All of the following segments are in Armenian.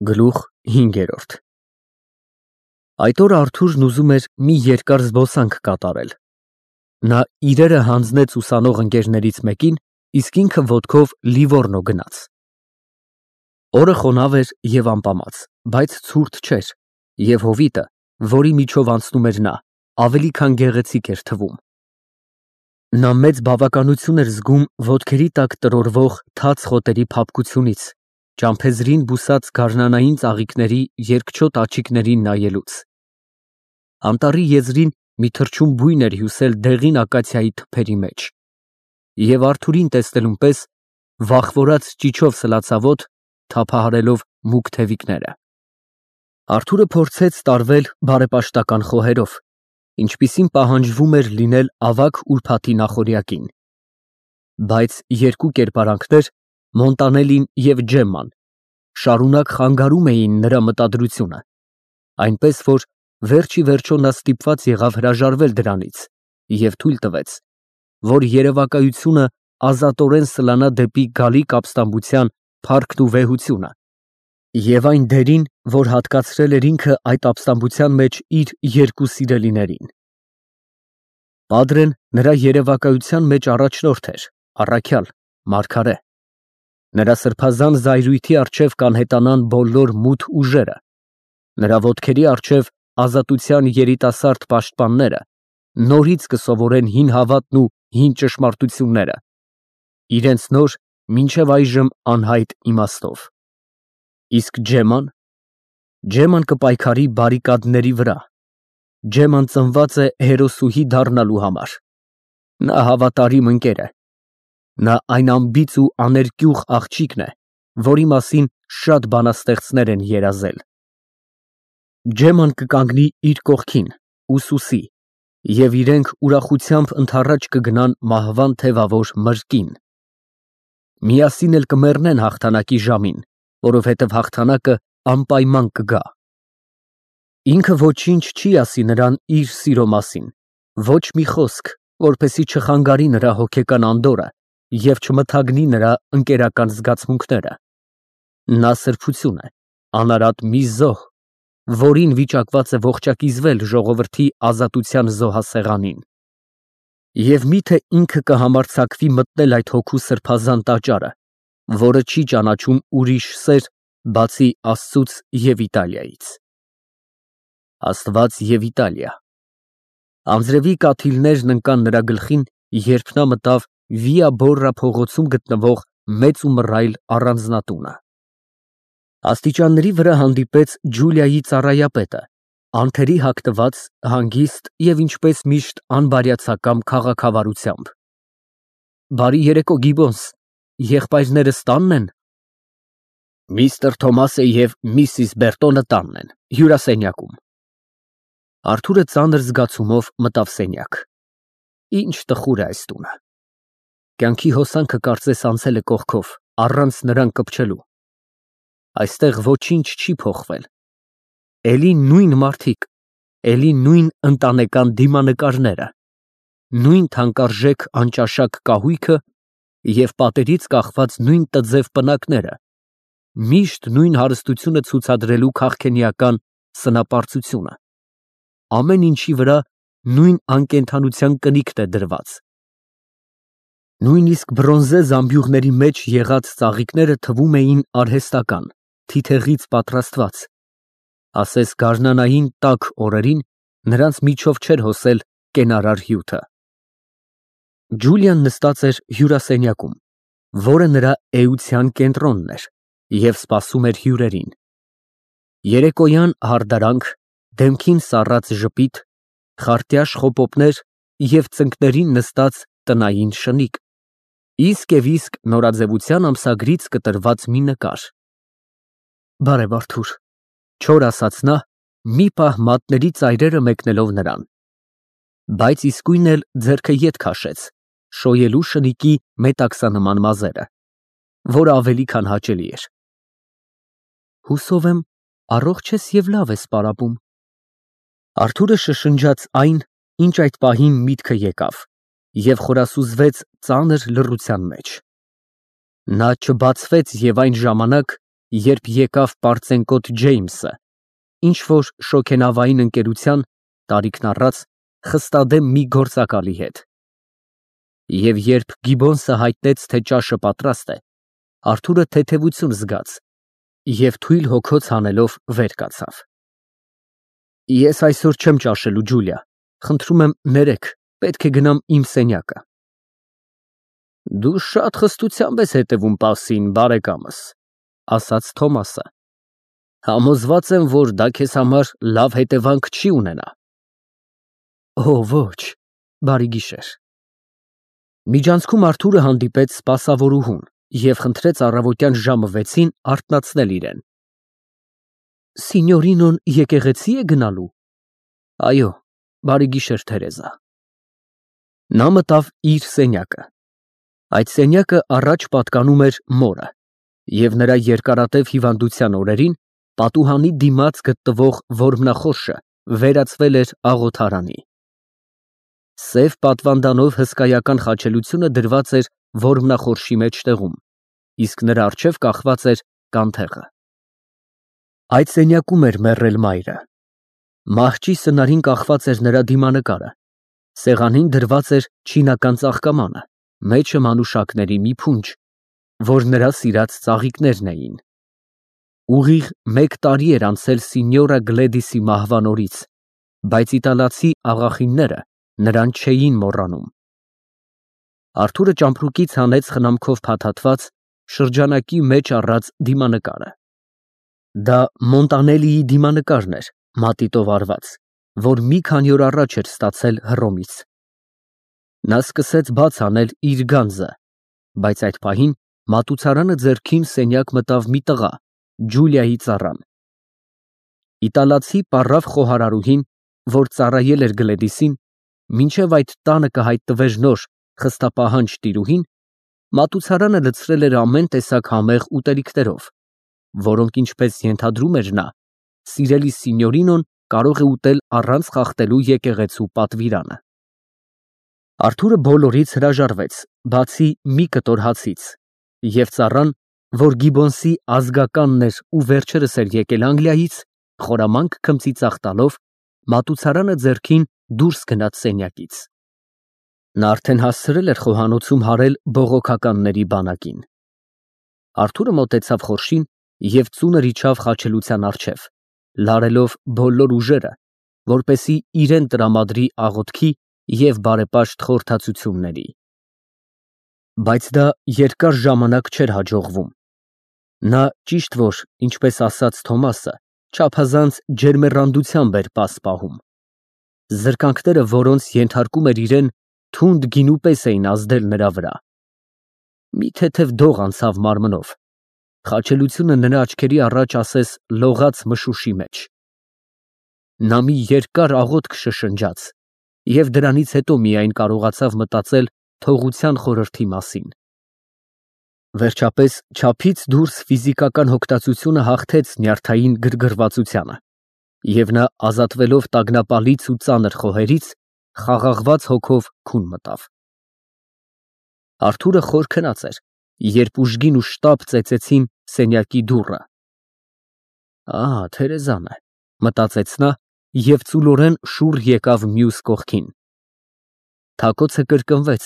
Գլուխ 5 Այդ օր Արթուրն ուզում էր մի երկար զբոսանք կատարել։ Նա իրերը հանձնեց ուսանող ընկերներից մեկին, իսկ ինքը ոտքով Լիվոռնո գնաց։ Օրը խոնավ էր և ամպամած, բայց ցուրտ չէր, և հովիտը, որի միջով անցնում էր նա, ավելի քան գեղեցիկ էր թվում։ Նա մեծ բավականություն էր զգում ոտքերի տակ տրորվող թաց խոտերի փափկությունից, ճամփեզրին բուսած գարնանային ծաղիկների երկչոտ աչիկներին նայելուց։ Անտառի եզրին մի թռչուն բույն էր հյուսել դեղին ակացիայի թփերի մեջ, և Արթուրին տեսնելուն պես վախվորած ճիչով սլացավոտ, թափահարելով մուգ թևիկները։ Արթուրը փորձեց տարվել բարեպաշտական խոհերով, ինչպիսին պահանջվում էր լինել ավագ ուրբաթի նախօրյակին։ Բայց երկու կերպարանքներ՝ Մոնտանելին և Ջեմման, շարունակ խանգարում էին նրա մտադրությունը, այնպես որ վերջ ի վերջո նա ստիպված եղավ հրաժարվել դրանից և թույլ տվեց, որ երևակայությունը ազատորեն սլանա դեպի գալիք ապստամբության փառքն ու վեհությունը և այն դերին, որ հատկացրել էր ինքը այդ ապստամբության մեջ իր երկու սիրելիներին։ Պատրեն նրա երևակայության մեջ առաջնորդ էր, առաքյալ, մարգարե։ Նրա սրբազան զայրույթի առջև կանհետանան բոլոր մութ ուժերը, նրա ոտքերի առջև ազատության երիտասարդ պաշտպանները նորից կսովորեն հին հավատն ու հին ճշմարտությունները, իրենց նոր, մինչև այժմ անհայտ իմաստով։ Իսկ Ջեմման կպայքարի բարիկադների վրա։ Ջեմման ծնված է հերոսուհի դառնալու համար։ Նա հավատարիմ ընկեր է։ Նա այն անբիծ ու աներկյուղ աղջիկն է, որի մասին շատ բանաստեղծներ են երազել։ Ջեմման կկանգնի իր կողքին, ուսուսի, և իրենք ուրախությամբ ընդառաջ կգնան մահվան թևավոր մրկին։ Միասին էլ կմեռնեն հաղթանակի ժամին, որովհետև հաղթանակը անպայման կգա։ Ինքը ոչինչ չի ասի նրան իր սիրո մասին, ոչ մի խոսք, որպեսզի չխանգարի նրա հոգեկան անդորրը և չմթագնի նրա ընկերական զգացմունքները։ Նա սրբություն է, անարատ մի զոհ, որին վիճակված է ողջակիզվել ժողովրդի ազատության զոհասեղանին։ Եվ միթե ինքը կհամարձակվի մտնել այդ հոգու սրբազան տաճարը, որը չի ճանաչում ուրիշ սեր, բացի Աստծուց և Իտալիայից։ Աստված և Իտալիա։ Անձրևի կաթիլներն ընկան նրա գլխին, երբ նա մտավ Վիա Բոռա փողոցում գտնվող մեծ ու մռայլ առանձնատունը։ Աստիճանների վրա հանդիպեց Ջուլիայի ծառայապետը, անթերի հագնված, հանգիստ և ինչպես միշտ անբարյացակամ քաղաքավարությամբ։ Բարի երեկո, Գիբոնս, եղբայրներս տա՞նն են։ Միստր Թոմասը և Միսիս Բերտոնը տանն են, հյուրասենյակում։ Արթուրը ծանր զգացումով մտավ սենյակ։ Ինչ տխուր է այս տունը։ Կյանքի հոսանքը կարծես անցել է կողքով, առանց նրան կպչելու։ Այստեղ ոչինչ չի փոխվել։ Էլի նույն մարդիկ, էլի նույն ընտանեկան դիմանկարները, նույն թանկարժեք անճաշակ կահույքը և պատերից կախված նույն տձև պնակները, միշտ նույն հարստությունը ցուցադրելու քաղքենիական սնապարծությունը, ամեն ինչի վրա նույն անկենդանության կնիքն է դրված։ Նույնիսկ բրոնզե զամբյուղների մեջ եղած ծաղիկները թվում էին արհեստական, թիթեղից պատրաստված, ասես գարնանային տաք օրերին նրանց միջով չէր հոսել կենարար հյութը։ Ջուլիան նստած էր հյուրասենյակում, որը նրա էության կենտրոնն էր, և սպասում էր հյուրերին։ Երեկոյան հարդարանք, դեմքին սառած ժպիտ, խարտյաշ խոպոպներ և ծնկներին նստած տնային շնիկ, իսկ և իսկ նորաձևության ամսագրից կտրված մի նկար։ Բարև Արթուր, չոր ասաց նա, մի պահ մատների ծայրերը մեկնելով նրան, բայց իսկույն էլ ձեռքը ետ քաշեց, շոյելու շնիկի մետաքսանման մազերը, որը ավելի քան հաճելի էր։ Հուսով եմ, առողջ ես և լավ ես պարապում։ Արթուրը շշնջաց այն, ինչ այդ պահին միտքը եկավ, և խորասուզվեց ծանր լռության մեջ։ Նա չբացվեց և այն ժամանակ, երբ եկավ պարծենկոտ Ջեյմսը, ինչ-որ շոգենավային ընկերության, տարիքն առած, խստադեմ մի գործակալի հետ։ Եվ երբ Գիբոնսը հայտնեց, թե ճաշը պատրաստ է, Արթուրը թեթևություն զգաց և թույլ հոգոց հանելով վեր կացավ։ Ես այսօր չեմ ճաշելու, Ջուլիա, խնդրում եմ ներեք, պետք է գնամ իմ սենյակը։ Դու շատ խստությամբ ես հետևում պասին, բարեկամս, ասաց Թոմասը։ Համոզված եմ, որ դա քեզ համար լավ հետևանք չի ունենա։ Օ, ոչ, բարի գիշեր։ Միջանցքում Արթուրը հանդիպեց սպասավորուհուն և խնդրեց առավոտյան ժամը 6-ին արթնացնել իրեն։ Սինյորինոն եկեղեցի է գնալու։ Այո, բարի գիշեր, Թերեզա։ Նա մտավ իր սենյակը։ Այդ սենյակը առաջ պատկանում էր մորը, և նրա երկարատև հիվանդության օրերին պատուհանի դիմաց գտնվող որմնախորշը վերածվել էր աղոթարանի։ Սև պատվանդանով հսկայական խաչելությունը դրված էր որմնախորշի մեջտեղում, իսկ նրա առջև կախված էր կանթեղը։ Այդ սենյակում էր մեռել մայրը։ Մահճի սնարին կախված էր նրա դիմանկարը, սեղանին դրված էր չինական ծաղկամանը, մեջը մանուշակների մի փունջ, որ նրա սիրած ծաղիկներն էին։ Ուղիղ 1 տարի էր անցել Սինյորա Գլեդիսի մահվան օրից, բայց իտալացի աղախինները նրան չէին մոռանում։ Արթուրը ճամպրուկից հանեց խնամքով փաթաթված, շրջանակի մեջ առած դիմանկարը։ Դա Մոնտանելիի դիմանկարն էր, մատիտով արված, որ մի քանի օր առաջ էր ստացել Հռոմից։ Նա սկսեց բաց անել իր գանձը, բայց այդ պահին մատուցարանը ձեռքին սենյակ մտավ մի տղա, Ջուլիայի ծառան։ Իտալացի պառավ խոհարարուհին, որ ծառայել էր Գլեդիսին, մինչև այդ տանը կհայտնվեր նոր խստապահանջ տիրուհին, մատուցարանը լցրել էր ամեն տեսակ համեղ ուտելիքներով, որոնք, ինչպես ենթադրում էր նա, սիրելի Սինյորինոն կարող է ուտել առանց խախտելու եկեղեցու պատվիրանը։ Արթուրը բոլորից հրաժարվեց, բացի մի կտոր հացից, և ծառան, որ Գիբոնսի ազգականն էր ու վերջերս էր եկել Անգլիայից, խորամանկ քմծիծաղ տալով, մատուցարանը ձեռքին դուրս գնաց սենյակից։ Նա արդեն հասցրել էր խոհանոցում հարել բողոքականների բանակին։ Արթուրը մոտեցավ խորշին և ծունր իջավ խաչելության առջև, լարելով բոլոր ուժերը, որպեսզի իրեն տրամադրի աղոթքի և բարեպաշտ խորհրդածությունների։ Բայց դա երկար ժամանակ չէր հաջողվում։ Նա ճիշտ որ, ինչպես ասաց Թոմասը, չափազանց ջերմեռանդությամբ էր պաս պահում։ Զրկանքները, որոնց ենթարկում էր իրեն, թունդ գինու պես էին ազդել նրա վրա։ Մի թեթև դող անցավ մարմնով։ Խաչելությունը նրա աչքերի առաջ ասես լողաց մշուշի մեջ։ Նա մի երկար աղոթք շշնջաց և դրանից հետո միայն կարողացավ մտածել թողության խորհրդի մասին։ Վերջապես, չափից դուրս ֆիզիկական հոգտածությունը հաղթեց նյարդային գրգռվածությանը, և նա, ազատվելով տագնապալից ու ծանր խոհերից, խաղաղված հոգով քուն մտավ։ Արթուրը խոր քնած էր, երբ ուժգին ու շտապ ծեծեցին սենյակի դուռը։ Թերեզան է, մտածեց նա և ծուլորեն շուռ եկավ մյուս կողքին։ Թակոցը կրկնվեց,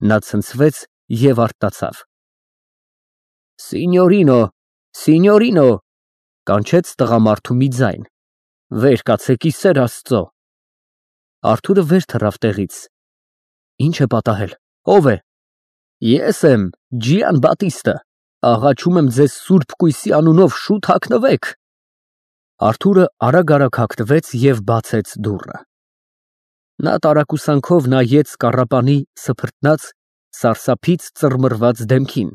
նա ցնցվեց և արթնացավ։ Սինյորինո, Սինյորինո, կանչեց տղամարդու մի ձայն։ Վեր կացեք, ի սեր Աստծո։ Արթուրը վեր թռավ տեղից։ Ինչ է պատահել, ո՞վ է։ Ես եմ, Ջիան Բատիստը, աղաչում եմ ձեզ սուրբ կույսի անունով, շուտ հագնվեք։ Արթուրը արագ հագնվեց և բացեց դուռը։ Նա տարակուսանքով նայեց կառապանի սփռտնած, սարսափից ծռմռված դեմքին,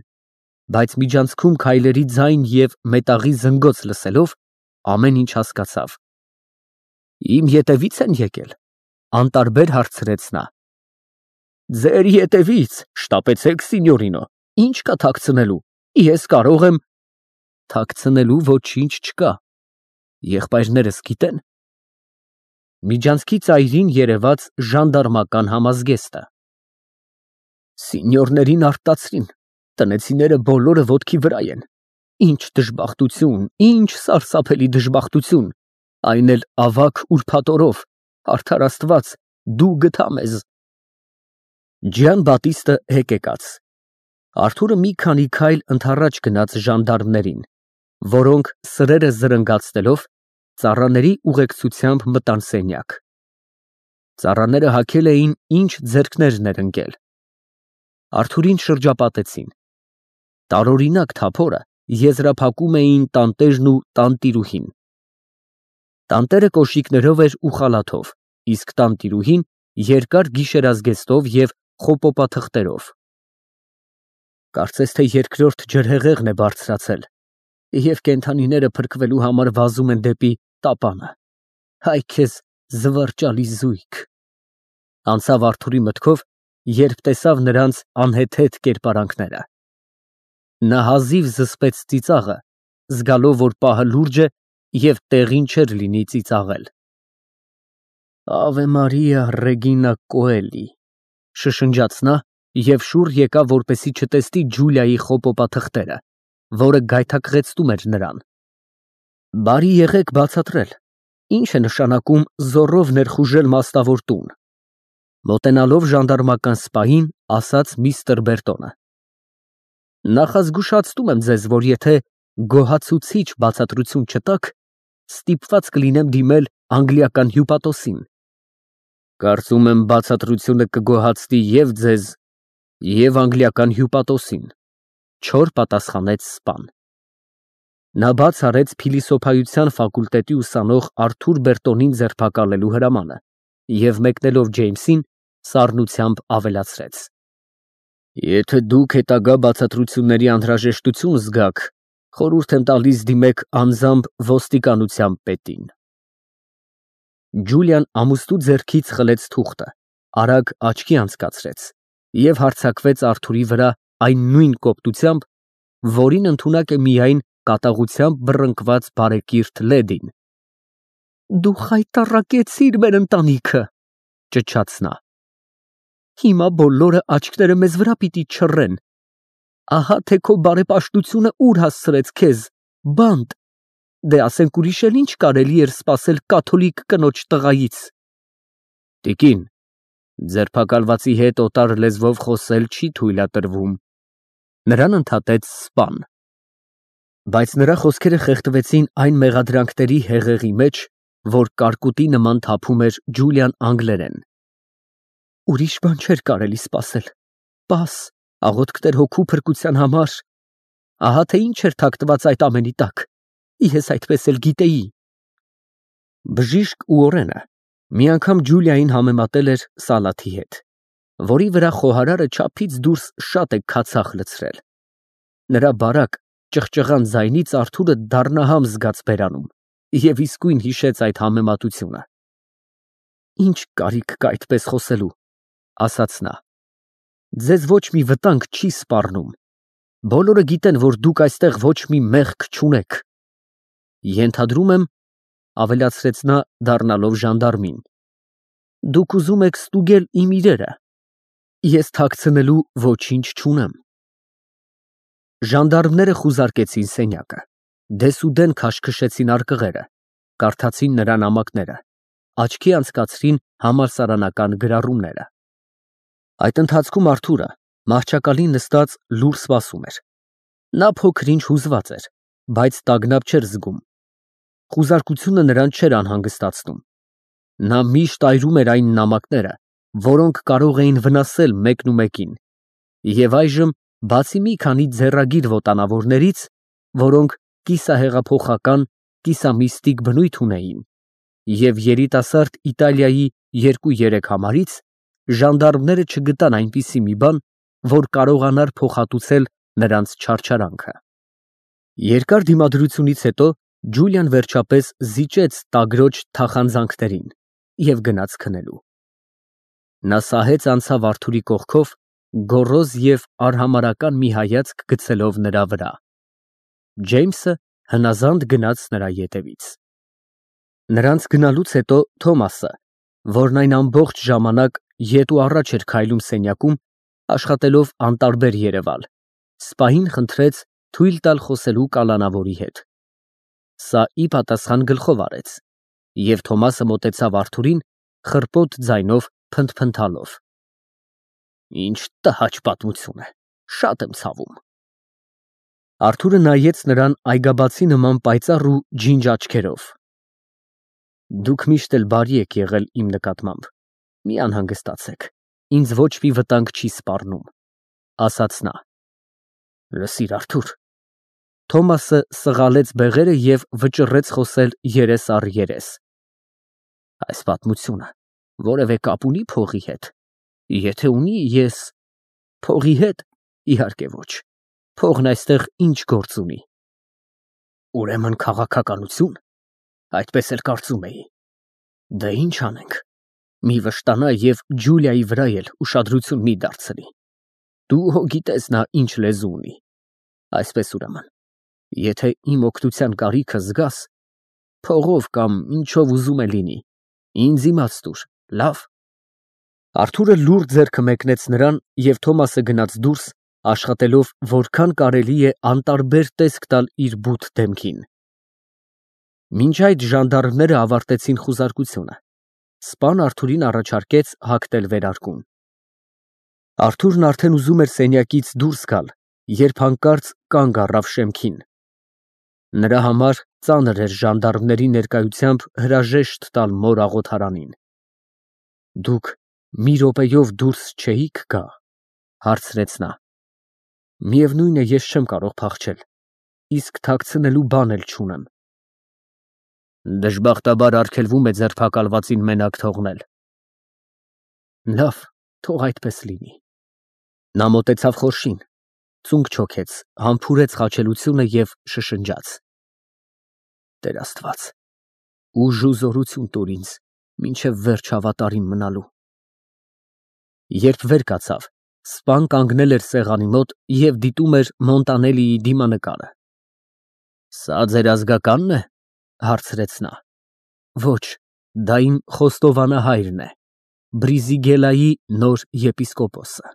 բայց միջանցքում քայլերի ձայն և մետաղի զնգոց լսելով, ամեն ինչ հասկացավ։ Իմ ետևի՞ց են եկել, անտարբեր հարցրեց նա։ Ձեր ետևից, շտապեցեք, Սինյորինո, ինչ կա թաքցնելու, ես կարող եմ։ Թաքցնելու ոչինչ չկա, եղբայրներս գիտեն։ Միջանցքի ծայրին երևաց ժանդարմական համազգեստը։ Սինյորներին արտացրին, տնեցիները բոլորը ոտքի վրա են։ Ինչ դժբախտություն, ինչ սարսափելի դժբախտություն, այն էլ ավագ ուրբաթորով, արդար Աստված, դու գթա մեզ։ Ջյան Բատիստը հետ եկած։ Արթուրը մի քանի քայլ ընդառաջ գնաց ժանդարմներին, որոնք սրերը զրնգացնելով ծառաների ուղեկցությամբ մտան սենյակ։ Ծառաները հագել էին ինչ ձեռքներն էր ընկել։ Արթուրին շրջապատեցին։ Տարօրինակ թափորը եզրափակում էին տանտերն ու տանտիրուհին։ Տանտերը կոշիկներով էր ու խալաթով, իսկ տանտիրուհին երկար գիշերազգեստով և խոպոպաթղթերով։ Կարծես թե երկրորդ ջրհեղեղն է բարձրացել, և կենդանիները փրկվելու համար վազում են դեպի տապանը։ Հայ քեզ զվարճալի զույգ։ Անցավ Արթուրի մտքով, երբ տեսավ նրանց անհեթեթ կերպարանքները։ Նա հազիվ զսպեց ծիծաղը, զգալով, որ պահը լուրջ է և տեղին չէր լինի ծիծաղել։ Ավե Մարիա Ռեգինա Կոելի, շշնջաց նա և շուռ եկավ, որպեսզի չտեսնի Ջուլիայի խոպոպաթղթերը, որը գայթակղեցնում էր նրան։ Բարի եղեք բացատրել, ինչ է նշանակում զոռով ներխուժել մասնավոր տուն։ Մոտենալով ժանդարմական սպային, ասաց միստր Բերտոնը։ Նախազգուշացնում եմ ձեզ, որ եթե գոհացուցիչ բացատրություն չտաք, ստիպված կլինեմ դիմել անգլիական հյուպատոսին։ Կարծում եմ բացատրությունը կգոհացնի և ձեզ, և անգլիական հյուպատոսին, չոր պատասխանեց սպան։ Նա բաց արեց փիլիսոփայության ֆակուլտետի ուսանող Արթուր Բերտոնին ձերբակալելու հրամանը և մեկնելով Ջեյմսին, սառնությամբ ավելացրեց. Եթե դուք հետագա բացատրությունների անհրաժեշտություն զգաք, խորհուրդ եմ տալիս դիմեք անձամբ ոստիկանության պետին։ Ջուլիան ամուստու ձեռքից խլեց թուղթը, արագ աչքի անցկացրեց և հարձակվեց Արթուրի վրա այն նույն կոպտությամբ, որին ընդունակ է միայն կատաղությամբ բռնկված բարեկիրթ լեդին։ Դու խայտառակեցիր մեր ընտանիքը, ճչաց նա։ Հիմա բոլորը աչքները մեզ վրա պիտի չռեն։ Ահա թե քո բարեպաշտությունը ուր հասցրեց քեզ, բանտ, դե ասենք ուրիշ էլ ինչ կարելի էր սպասել կաթոլիկ կնոջ տղայից։ Տիկին, ձերբակալվածի հետ օտար լեզվով խոսել չի թույլատրվում, նրան ընդհատեց սպան։ Բայց նրա խոսքերը խեղդվեցին այն մեղադրանքների հեղեղի մեջ, որ կարկուտի նման թափում էր Ջուլիան անգլերեն։ Ուրիշ բան չէր կարելի սպասել, պաս, աղոթքներ հոգու փրկության համար, ահա թե ինչ էր թաքնված այդ ամենի տակ, ես այդպես էլ գիտեի։ Բժիշկ ու օրենը մի անգամ Ջուլիային համեմատել էր սալաթի հետ, որի վրա խոհարարը չափից դուրս շատ է քացախ լցրել։ Նրա բարակ, ճղճղան ձայնից Արթուրը դառնահամ զգաց բերանում և իսկույն հիշեց այդ համեմատությունը։ Ինչ կարիք կա այդպես խոսելու, ասաց նա։ Ձեզ ոչ մի վտանգ չի սպառնում։ Բոլորը գիտեն, որ դուք այստեղ ոչ մի մեղք չունեք։ Ենթադրում եմ, ավելացրեց նա, դառնալով ժանդարմին, դուք ուզում եք ստուգել իմ իրերը։ Ես թաքցնելու ոչինչ չունեմ։ Ժանդարմները խուզարկեցին սենյակը, դեսուդեն քաշքշեցին արկղերը, կարդացին նրա նամակները, աչքի անցկացրին համալսարանական գրառումները։ Այդ ընթացքում Արթուրը մահճակալին նստած լուռ սպասում էր։ Նա փոքր-ինչ հուզված էր, բայց տագնապ չէր զգում։ Խուզարկությունը նրան չէր անհանգստացնում։ Նա միշտ այրում էր այն նամակները, որոնք կարող էին վնասել մեկնումեկին, և այժմ, բացի մի քանի ձեռագիր ոտանավորներից, որոնք կիսահեղափոխական, կիսամիստիկ բնույթ ունեին, և երիտասարդ Իտալիայի 2-3 համարից, ժանդարմները չգտան այնպիսի մի բան, որ կարողանար փոխհատուցել նրանց չարչարանքը։ Երկար դիմադրությունից հետո Ջուլիան վերջապես զիջեց տագրոջ թախանձանքներին և գնաց քնելու։ Նա սահեց անցավ Արթուրի կողքով, գոռոզ և արհամարհական մի հայացք գցելով նրա վրա։ Ջեյմսը հնազանդ գնաց նրա ետևից։ Նրանց գնալուց հետո Թոմասը, որն այն ամբողջ ժամանակ ետ ու առաջ էր քայլում սենյակում, աշխատելով անտարբեր երևալ, սպային խնդրեց, թույլ տալ խոսելու կալանավորի հետ։ Սա ի պատասխան գլխով արեց, և Թոմասը մոտեցավ Արթուրին, խռպոտ ձայնով փնթփնթալով. Ինչ տհաճ պատմություն է, շատ եմ ցավում։ Արթուրը նայեց նրան այգաբացի նման պայծառ ու ջինջ աչքերով։ Դուք միշտ էլ բարի եք եղել իմ նկատմամբ, մի անհանգստացեք, ինձ ոչ մի վտանգ չի սպառնում, ասաց նա։ Լսիր, Արթուր։ Թոմասը սղալեց բեղերը և վճռեց խոսել երես առ երես։ Այս պատմությունը որևէ կապ ունի փողի հետ։ Եթե ունի, ես… Փողի հետ, իհարկե ոչ։ Փողն այստեղ ինչ գործ ունի։ Ուրեմն քաղաքականություն, այդպես էլ կարծում էի։ Դե ինչ անենք, մի վշտանա և Ջուլիայի վրա էլ ուշադրություն մի դարձնի։ Դու հո գիտես նա ինչ լեզու ունի։ Այսպես ուրեմն, եթե իմ օգնության կարիքը զգաս, փողով կամ ինչով ուզում է լինի, ինձ իմաց տուր, լավ։ Արթուրը լուռ ձեռքը մեկնեց նրան, և Թոմասը գնաց դուրս, աշխատելով որքան կարելի է անտարբեր տեսք տալ իր բութ դեմքին։ Մինչ այդ ժանդարմները ավարտեցին խուզարկությունը։ Սպան Արթուրին առաջարկեց հագնել վերարկուն։ Արթուրն արդեն ուզում էր սենյակից դուրս գալ, երբ հանկարծ կանգ առավ շեմքին։ Նրա համար ծանր էր ժանդարմների ներկայությամբ հրաժեշտ տալ մոր աղոթարանին։ Դուք մի րոպեով դուրս չէի՞ք գա, հարցրեց նա։ Միևնույն է, ես չեմ կարող փախչել, իսկ թաքցնելու բան էլ չունեմ։ Դժբախտաբար արգելվում է ձերբակալվածին մենակ թողնել։ Լավ, թող այդպես լինի։ Նա մոտեցավ խորշին, ծունկ չոքեց, համբուրեց խաչելությունը և շշնջաց. Տեր Աստված, ուժ ու զորություն տուր ինձ, մինչև վերջ հավատարիմ մնալու։ Երբ վեր կացավ, սպան կանգնել էր սեղանի մոտ և դիտում էր Մոնտանելիի դիմանկարը։ Սա ձեր ազգակա՞նն է, հարցրեց նա։ Ոչ, դա իմ խոստովանահայրն է, Բրիզիգելայի նոր եպիսկոպոսը։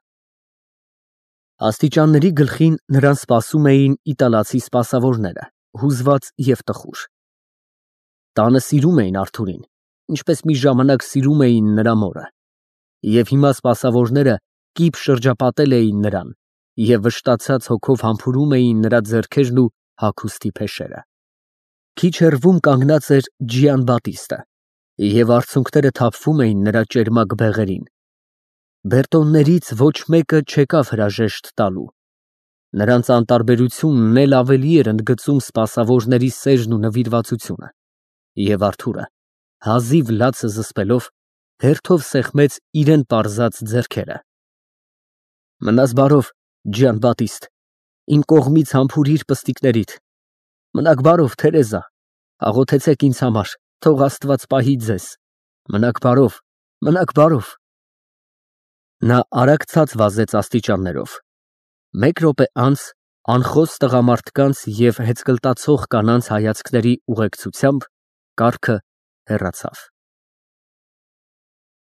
Աստիճանների գլխին նրան սպասում էին իտալացի սպասավորները, հուզված և տխուր։ Տանը սիրում էին Արթուրին, ինչպես մի ժամանակ սիրում էին նրա մորը, և հիմա սպասավորները կիպ շրջապատել էին նրան և վշտացած հոգով համբուրում էին նրա ձեռքերն ու հագուստի փեշերը։ Քիչ հեռվում կանգնած էր Ջիանբատիստը, և արցունքները թափվում էին նրա ճերմակ բեղերին։ Բերտոններից ոչ մեկը չեկավ հրաժեշտ տալու։ Նրանց անտարբերությունն էլ ավելի էր ընդգծում սպասավորների սերն ու նվիրվածությունը, և Արթուրը, հազիվ լացը զսպելով, հերթով սեղմեց իրան պարզած ձեռքերը։ Մնաս բարով, Ջիանբատիստ, իմ կողմից համբուրիր պստիկներիդ։ Մնաք բարով, Թերեզա, աղոթեցեք ինձ համար, թող Աստված պահի ձեզ։ Մնաք բարով, մնաք բարով։ Նա արագ ցած վազեց աստիճաններով։ Մեկ րոպե անց անխոս տղամարդկանց և հեծկլտացող կանանց հայացքների ուղեկցությամբ կառքը հեռացավ։